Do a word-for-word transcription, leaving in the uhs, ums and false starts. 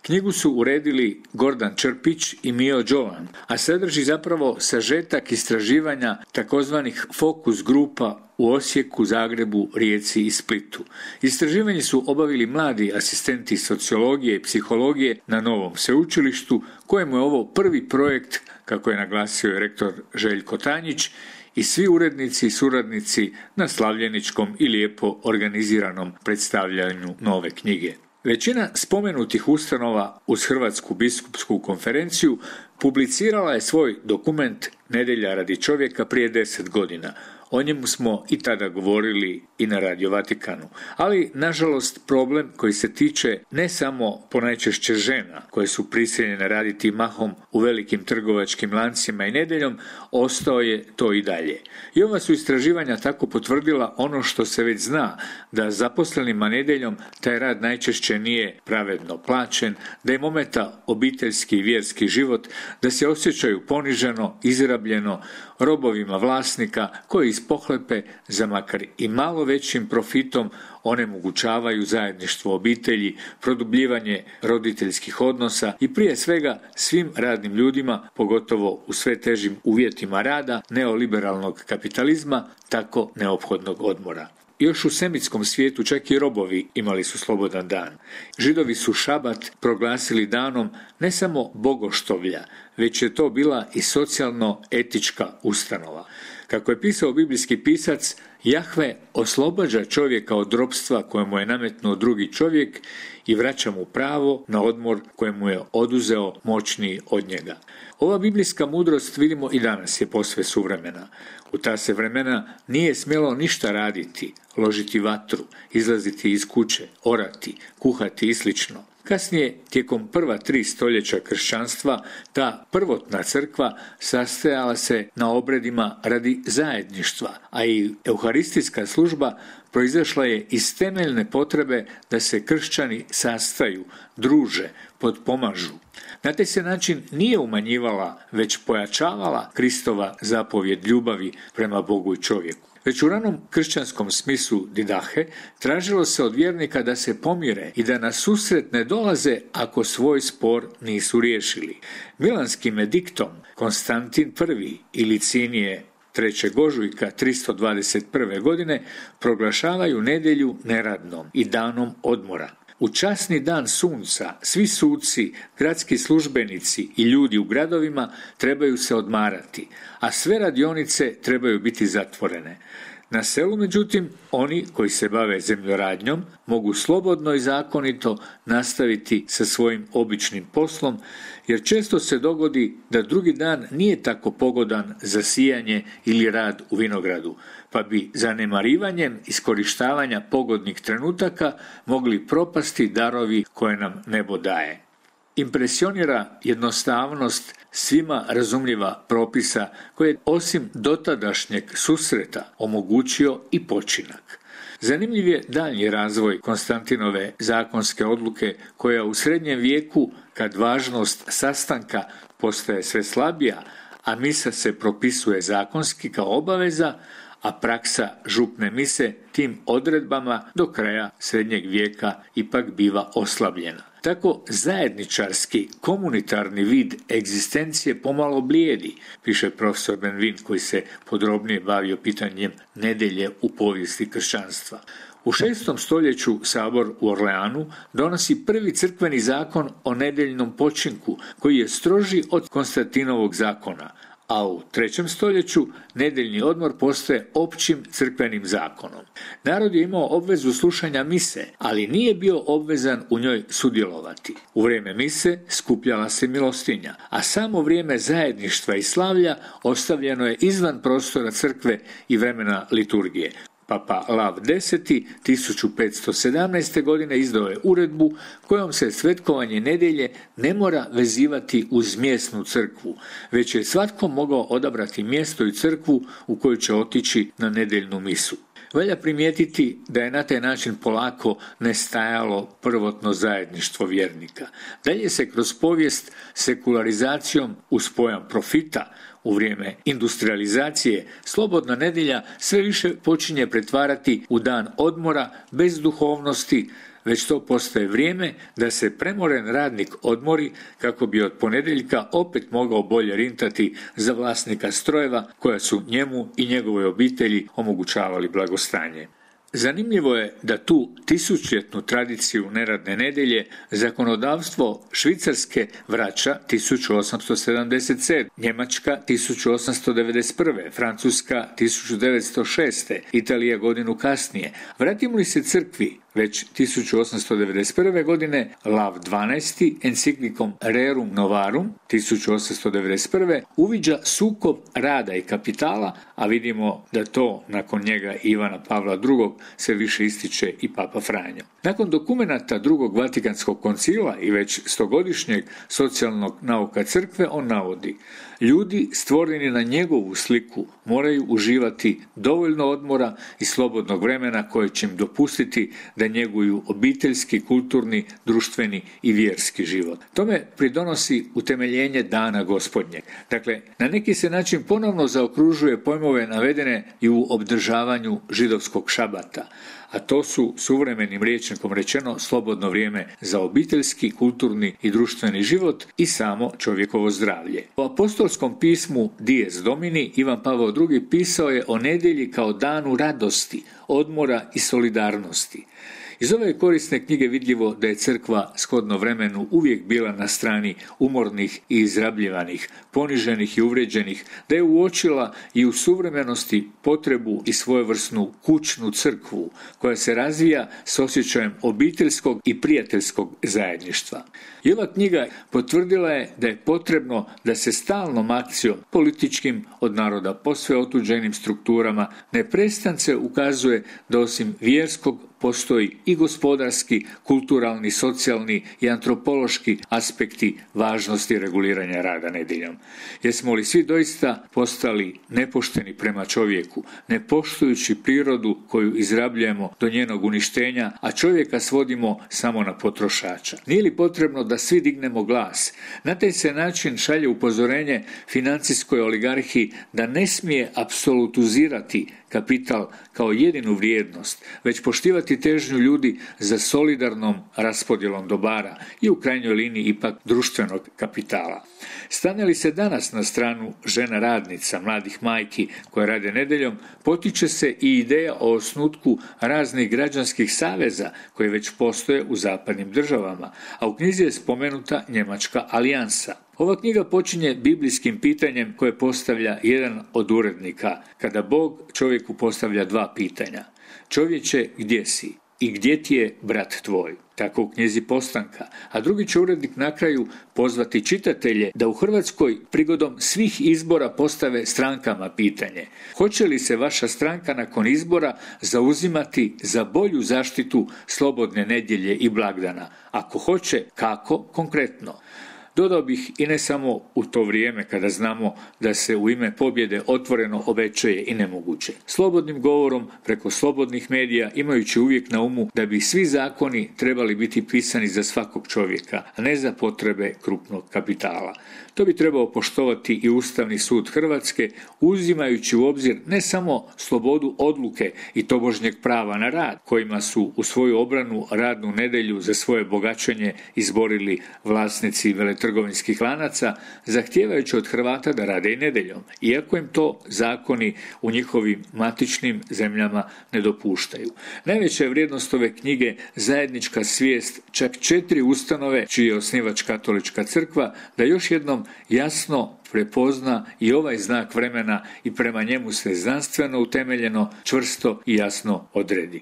Knjigu su uredili Gordan Črpić i Mio Đolan, a sadrži zapravo sažetak istraživanja takozvanih fokus grupa u Osijeku, Zagrebu, Rijeci i Splitu. Istraživanje su obavili mladi asistenti sociologije i psihologije na Novom sveučilištu, kojemu je ovo prvi projekt, kako je naglasio rektor Željko Tanjić, i svi urednici i suradnici na slavljeničkom i lijepo organiziranom predstavljanju nove knjige. Većina spomenutih ustanova uz Hrvatsku biskupsku konferenciju publicirala je svoj dokument Nedjelja radi čovjeka prije deset godina. O njemu smo i tada govorili i na Radio Vatikanu. Ali, nažalost, problem koji se tiče ne samo ponajčešće žena koje su prisiljene raditi mahom u velikim trgovačkim lancima i nedjeljom, ostao je to i dalje. I ova su istraživanja tako potvrdila ono što se već zna, da zaposlenima nedjeljom taj rad najčešće nije pravedno plaćen, da im ometa obiteljski i vjerski život, da se osjećaju poniženo, izrabljeno, robovima vlasnika koji iz pohlepe za makar i malo većim profitom onemogućavaju zajedništvo obitelji, produbljivanje roditeljskih odnosa i prije svega svim radnim ljudima, pogotovo u sve težim uvjetima rada neoliberalnog kapitalizma, tako neophodnog odmora. Još u semitskom svijetu čak i robovi imali su slobodan dan. Židovi su šabat proglasili danom ne samo bogoštovlja, već je to bila i socijalno-etička ustanova. Kako je pisao biblijski pisac, Jahve oslobađa čovjeka od ropstva kojemu je nametnuo drugi čovjek i vraća mu pravo na odmor kojemu je oduzeo moćniji od njega. Ova biblijska mudrost, vidimo, i danas je posve suvremena. U ta se vremena nije smjelo ništa raditi, ložiti vatru, izlaziti iz kuće, orati, kuhati i slično. Kasnije, tijekom prva tri stoljeća kršćanstva, ta prvotna crkva sastajala se na obredima radi zajedništva, a i euharistijska služba proizašla je iz temeljne potrebe da se kršćani sastaju, druže, potpomažu. Na taj se način nije umanjivala, već pojačavala Kristova zapovjed ljubavi prema Bogu i čovjeku. Već u ranom kršćanskom smislu didahe tražilo se od vjernika da se pomire i da na susret ne dolaze ako svoj spor nisu riješili. Milanskim ediktom Konstantin I i Licinije trećeg ožujka tristo dvadeset prve godine proglašavaju nedjelju neradnom i danom odmora. U časni dan sunca svi suci, gradski službenici i ljudi u gradovima trebaju se odmarati, a sve radionice trebaju biti zatvorene. Na selu, međutim, oni koji se bave zemljoradnjom mogu slobodno i zakonito nastaviti sa svojim običnim poslom, jer često se dogodi da drugi dan nije tako pogodan za sijanje ili rad u vinogradu, pa bi zanemarivanjem iskorištavanja pogodnih trenutaka mogli propasti darovi koje nam nebo daje. Impresionira jednostavnost svima razumljiva propisa koje osim dotadašnjeg susreta omogućio i počinak. Zanimljiv je daljnji razvoj Konstantinove zakonske odluke koja u srednjem vijeku, kad važnost sastanka postaje sve slabija, a misa se propisuje zakonski kao obaveza, a praksa župne mise tim odredbama do kraja srednjeg vijeka ipak biva oslabljena. Tako zajedničarski, komunitarni vid egzistencije pomalo blijedi, piše profesor Benvin koji se podrobnije bavio pitanjem nedjelje u povijesti kršćanstva. U šestom stoljeću sabor u Orleanu donosi prvi crkveni zakon o nedjeljnom počinku koji je stroži od Konstantinovog zakona, a u trećem stoljeću nedjeljni odmor postaje općim crkvenim zakonom. Narod je imao obvezu slušanja mise, ali nije bio obvezan u njoj sudjelovati. U vrijeme mise skupljala se milostinja, a samo vrijeme zajedništva i slavlja ostavljeno je izvan prostora crkve i vremena liturgije. Papa Lav X tisuću petsto sedamnaeste. godine izdao je uredbu kojom se svetkovanje nedjelje ne mora vezivati uz mjesnu crkvu, već je svatko mogao odabrati mjesto i crkvu u koju će otići na nedjeljnu misu. Valja primijetiti da je na taj način polako nestajalo prvotno zajedništvo vjernika. Dalje se kroz povijest sekularizacijom uz pojam profita u vrijeme industrializacije slobodna nedjelja sve više počinje pretvarati u dan odmora bez duhovnosti, već to postaje vrijeme da se premoren radnik odmori kako bi od ponedjeljka opet mogao bolje rintati za vlasnika strojeva koja su njemu i njegovoj obitelji omogućavali blagostanje. Zanimljivo je da tu tisućljetnu tradiciju neradne nedjelje zakonodavstvo Švicarske vraća tisuću osamsto sedamdeset sedme, Njemačka tisuću osamsto devedeset prve, Francuska tisuću devetsto šeste, Italija godinu kasnije. Vratimo li se crkvi, već tisuću osamsto devedeset prve. godine Lav dvanaesti enciklikom Rerum Novarum tisuću osamsto devedeset prve. uviđa sukob rada i kapitala, a vidimo da to nakon njega Ivana Pavla drugog. se više ističe i Papa Franjo. Nakon dokumenata drugog Vatikanskog koncila i već stogodišnjeg socijalnog nauka crkve on navodi: ljudi stvoreni na njegovu sliku moraju uživati dovoljno odmora i slobodnog vremena koje će im dopustiti da njeguju obiteljski, kulturni, društveni i vjerski život. Tome pridonosi utemeljenje dana Gospodnjeg. Dakle, na neki se način ponovno zaokružuje pojmove navedene i u obdržavanju židovskog šabata, a to su suvremenim rječnikom rečeno slobodno vrijeme za obiteljski, kulturni i društveni život i samo čovjekovo zdravlje. U apostolskom pismu Dies Domini Ivan Pavao drugi. pisao je o nedjelji kao danu radosti, odmora i solidarnosti. Iz ove korisne knjige vidljivo da je crkva shodno vremenu uvijek bila na strani umornih i izrabljivanih, poniženih i uvrijeđenih, da je uočila i u suvremenosti potrebu i svojevrsnu kućnu crkvu koja se razvija s osjećajem obiteljskog i prijateljskog zajedništva. I ova knjiga potvrdila je da je potrebno da se stalnom akcijom, političkim od naroda posve otuđenim strukturama, neprestance ukazuje da osim vjerskog postoji i gospodarski, kulturalni, socijalni i antropološki aspekti važnosti reguliranja rada nedjeljom. Jesmo li svi doista postali nepošteni prema čovjeku, ne poštujući prirodu koju izrabljujemo do njenog uništenja, a čovjeka svodimo samo na potrošača? Nije li potrebno da svi dignemo glas? Na taj se način šalje upozorenje financijskoj oligarhiji da ne smije apsolutizirati kapital kao jedinu vrijednost, već poštivati težnju ljudi za solidarnom raspodjelom dobara i u krajnjoj liniji ipak društvenog kapitala. Stane li se danas na stranu žena radnica, mladih majki koje rade nedjeljom, potiče se i ideja o osnutku raznih građanskih saveza koji već postoje u zapadnim državama, a u knjizi je spomenuta Njemačka alijansa. Ova knjiga počinje biblijskim pitanjem koje postavlja jedan od urednika, kada Bog čovjeku postavlja dva pitanja. Čovječe, gdje si? I gdje ti je brat tvoj? Tako u knjizi Postanka. A drugi će urednik na kraju pozvati čitatelje da u Hrvatskoj prigodom svih izbora postave strankama pitanje: hoće li se vaša stranka nakon izbora zauzimati za bolju zaštitu slobodne nedjelje i blagdana? Ako hoće, kako konkretno? Dodao bih i ne samo u to vrijeme kada znamo da se u ime pobjede otvoreno obećaje i nemoguće. Slobodnim govorom preko slobodnih medija, imajući uvijek na umu da bi svi zakoni trebali biti pisani za svakog čovjeka, a ne za potrebe krupnog kapitala. To bi trebao poštovati i Ustavni sud Hrvatske, uzimajući u obzir ne samo slobodu odluke i tobožnjeg prava na rad, kojima su u svoju obranu radnu nedjelju za svoje bogaćenje izborili vlasnici veletrgovinskih lanaca, zahtijevajući od Hrvata da rade i nedjeljom, iako im to zakoni u njihovim matičnim zemljama ne dopuštaju. Najveća je vrijednost ove knjige zajednička svijest čak četiri ustanove, čiji je osnivač Katolička crkva, da još jednom jasno prepozna i ovaj znak vremena i prema njemu se znanstveno utemeljeno, čvrsto i jasno odredi.